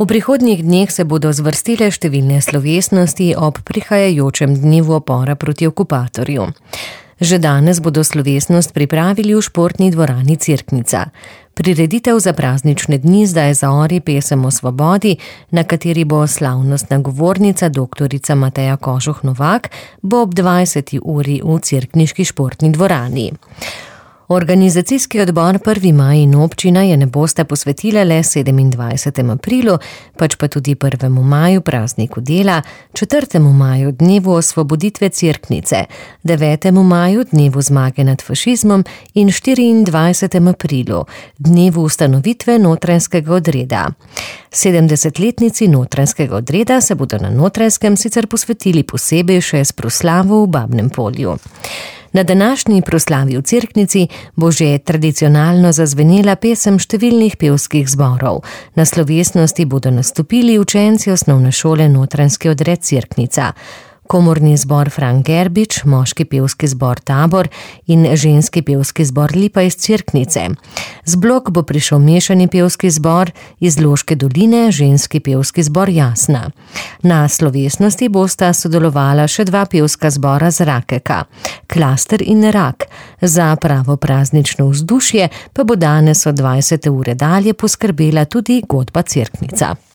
V prihodnjih dneh se bodo zvrstile številne slovesnosti ob prihajajočem dnevu upora proti okupatorju. Že danes bodo slovesnost pripravili v športni dvorani Cerknica. Prireditev za praznične dni Zdaj zaori pesem o svobodi, na kateri bo slavnostna govornica doktorica Mateja Kožuh Novak, bo ob 20. uri v cerkniški športni dvorani. Organizacijski odbor 1. maj in občina je ne bosta posvetile le 27. aprilu, pač pa tudi 1. maju prazniku dela, 4. maju dnevu osvoboditve Cerknice, 9. maju dnevu zmage nad fašizmom in 24. aprilu dnevu ustanovitve Notranjskega odreda. 70-letnici Notranjskega odreda se bodo na Notranjskem sicer posvetili posebej še s proslavo v Babnem Polju. Na današnji proslavi v Cerknici bo že tradicionalno zazvenela pesem številnih pevskih zborov. Na slovesnosti bodo nastopili učenci osnovne šole Notranjski odred Cerknica, komorni zbor Frank Gerbič, moški pevski zbor Tabor in ženski pevski zbor Lipa iz Cerknice. Z Blok bo prišel mešani pevski zbor iz Loške doline, ženski pevski zbor Jasna. Na slovesnosti bosta sodelovala še 2 pevska zbora z Rakeka, Klaster in Rak. Za pravo praznično vzdušje pa bo danes od 20. ure dalje poskrbela tudi godba Cerknica.